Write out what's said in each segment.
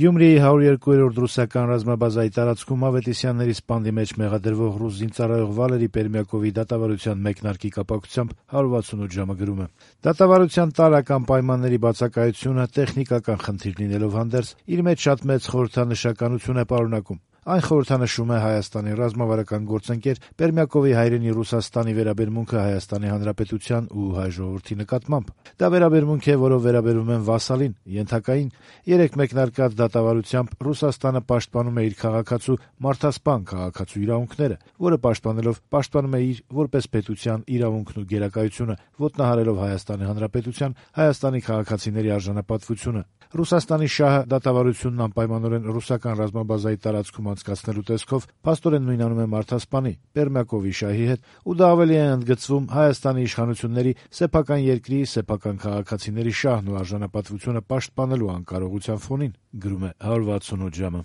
Գյումրիի 102-րդ ռուսական ռազմաբազայի տարածքում Ավետիսյանների սպանդի մեջ մեղադրվող ռուս զինծառայող Վալերի Պերմյակովի դատավարության մեկնարկի կապակցությամբ 168 ժամը գրում է. Դատավարության տարրական պայմանների բացակայությունը տեխնիկական խնդիր լինելով հանդերձ իր մեջ շատ մեծ խորհրդանշականություն է պարունակում. Այն խորհրդանշում է Հայաստանի ռազմավարական գործընկեր Պերմյակովի հայրենի Ռուսաստանի վերաբերմունքը Հայաստանի Հանրապետության ու հայ ժողովրդի նկատմամբ: Դա վերաբերմունք է, որով վերաբերվում են վասալին, ենթակային: Երեկ մեկնարկած դատավարությամբ Ռուսաստանը պաշտպանում է իր քաղաքացու մարդասպան քաղաքացու իրավունքները, որը պաշտպանելով պաշտպանում է իր որպես պետության իրավունքն ու գերակայությունը, ոտնահարելով Հայաստանի Հանրապետության, Հայաստանի քաղաքացիների արժանապատվությունը: Ռուսաստանի շահը դատավարությունն անպայմանորեն ռուսական ռազմաբազայի տարածքում անցկացնելու տեսքով փաստորեն նույնանում է մարդասպանի Պերմյակովի շահի հետ, ու դա ավելի է ընդգծվում Հայաստանի իշխանությունների սեփական երկրի, սեփական քաղաքացիների շահն ու արժանապատվությունը պաշտպանելու անկարողության ֆոնին, գրում է 168 ժամը: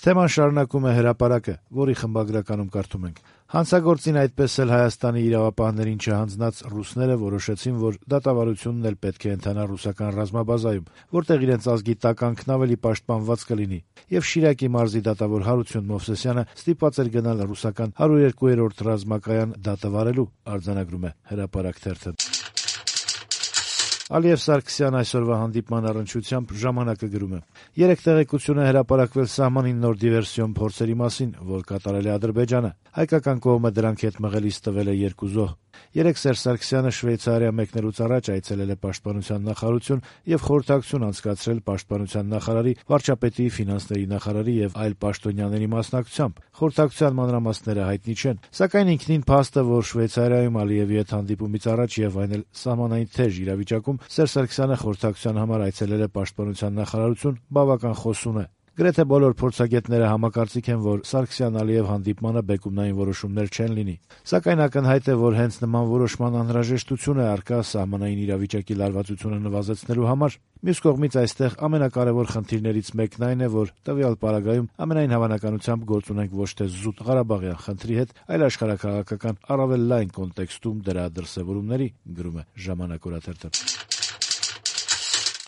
Թեման շարունակում է Հրապարակը, որի խմբագրականում կարդում ենք. Հանցագործին այդպես էլ Հայաստանի իրավապահներին չհանձնած ռուսները որոշեցին, որ դատավարությունն էլ պետք է ընթանա ռուսական ռազմաբազայում, որտեղ իրենց ազգի տականքն ավելի պաշտպանված կլինի, եւ Շիրակի մարզի դատավոր Հարություն Մովսեսյանը ստիպված էր գնալ ռուսական 102-րդ ռազմակայան դատը վարելու, արձանագրում է Հրապարակ թերթը: Ալիև Սարգսյան այսօրվա հանդիպման առնչությամբ «Ժամանակ»-ը գրում է. Երեկ տեղեկություն է հրապարակվել սահմանին նոր դիվերսիոն փորձերի մասին, որ կատարել է Ադրբեջանը: Հայկական կողմը դրանք հետ մղելիս տվել է 2 զոհ: Երեկ Սերժ Սարգսյանը Շվեյցարիա մեկնելուց առաջ այցելել է Պաշտպանության նախարարություն եւ խորհրդակցություն անցկացրել Պաշտպանության նախարարի, վարչապետի, ֆինանսների նախարարի եւ այլ պաշտոնյաների մասնակցությամբ: Խորհրդակցության մանրամասները հայտնի չեն, սակայն ինքնին փաստը, որ Շվեյցարիայում Ալիևի հետ հանդիպումից առաջ եւ այն էլ սահմանային թեժ իրավիճակում Սերժ Սարգսյանը խորհրդակցության համար այցելել է Պաշտպանության նախարարություն, բավական խոսուն է: Գրեթե բոլոր փորձագետները համակարծիք են, որ Սարգսյան-Ալիև հանդիպմանը բեկումնային որոշումներ չեն լինի: Սակայն ակնհայտ է, որ հենց նման որոշման անհրաժեշտություն է առկա սահմանային իրավիճակի լարվածությունը նվազեցնելու համար: Մյուս կողմից, այստեղ ամենակարևոր խնդիրներից մեկն այն է, որ տվյալ պարագայում ամենայն հավանականությամբ գործ ունենք ոչ թե զուտ ղարաբաղյան խնդրի հետ, այլ աշխարհաքաղաքական առավել լայն կոնտեքստում դրա դրսեւորումների, գրում է «Ժամանակ» օրաթերթը: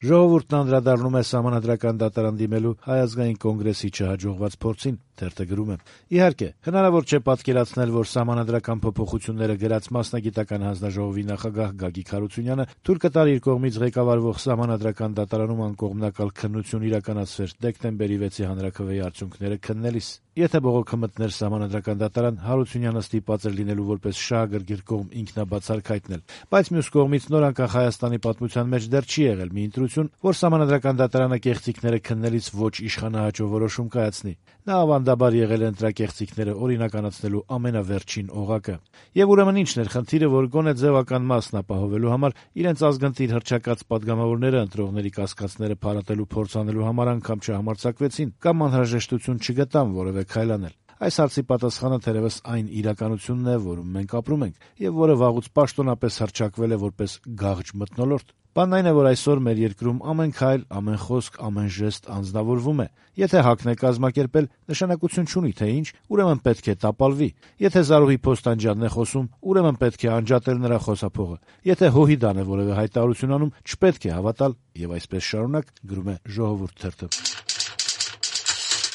Ժողովուրդն անդրադառնում է Սահմանադրական դատարան դիմելու Հայ ազգային կոնգրեսի չհաջողված փորձին: Թերթը գրում է. Իհարկե, հնարավոր չէ պատկերացնել, որ Սահմանադրական փոփոխությունները գրած Մասնագիտական հանձնաժողովի նախագահ Գագիկ Հարությունյանը թույլ կտար իր կողմից ղեկավարվող Սահմանադրական դատարանում անկողմնակալ քննություն իրականացվեր դեկտեմբերի 6-ի հանրաքվեի արդյունքները քննելիս: Եթե բողոքը մտներ Սահմանադրական դատարան, Հարությունյանը ստիպված էր լինելու որպես շահագրգիռ կողմ ինքնաբացարկ հայտնել: Բայց մյուս կողմից, նոր անկախ Հայաստանի պատմության մեջ դեռ չի եղել մի ընտրություն, որ Սահմանադրական դատարանը կեղծիքները քննելիս ոչ իշխանահաճո որոշում կայացնի: Նա ավանդաբար եղել է ընտրակեղծիքները օրինականացնելու ամենավերջին օղակը: Եվ ուրեմն ի՞նչն էր խնդիրը, որ գոնե ձեւական մասն ապահովելու համար իրենց ազգընտիր հռչակած պատգամավորները ընտրողների կասկածները փարատելու փորձ անելու համար անգամ չհամարձակվեցին կամ անհրաժեշտություն չգտան որեւէ քայլ անել: Այս հարցի պատասխանը թերեւս այն իրականությունն է, որում մենք ապրում ենք, եւ որը վաղուց պաշտոնապես հռչակվել է որպես գաղջ մթնոլորտ: Բանն այն է, որ այսօր մեր երկրում ամեն քայլ, ամեն խոսք, ամեն ժեստ անձնավորվում է: Եթե ՀԱԿ-ն է կազմակերպել, նշանակություն չունի թե ինչ, ուրեմն պետք է տապալվի: Եթե Զարուհի Փոստանջյանն է խոսում, ուրեմն պետք է անջատել նրա խոսափողը: Եթե Հոհիդան է որեւէ հայտարարություն անում, չպետք է հավատալ: Եվ այսպես շարունակ, գրում է «Ժողովուրդ» թերթը: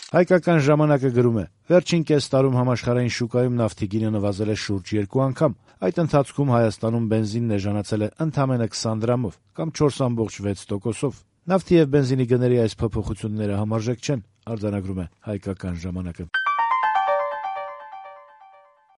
Հայկական ժամանակը գրում է. վերջին կես տարում համաշխարհային շուկայում նավթի գինը նվազել է շուրջ 2 անգամ: Այդ ընթացքում Հայաստանում բենզինն էժանացել է ընդամենը 20 դրամով կամ 4,6%: Նավթի եւ բենզինի գների այս փոփոխությունները համարժեք չեն, արձանագրում է «Հայկական ժամանակը»: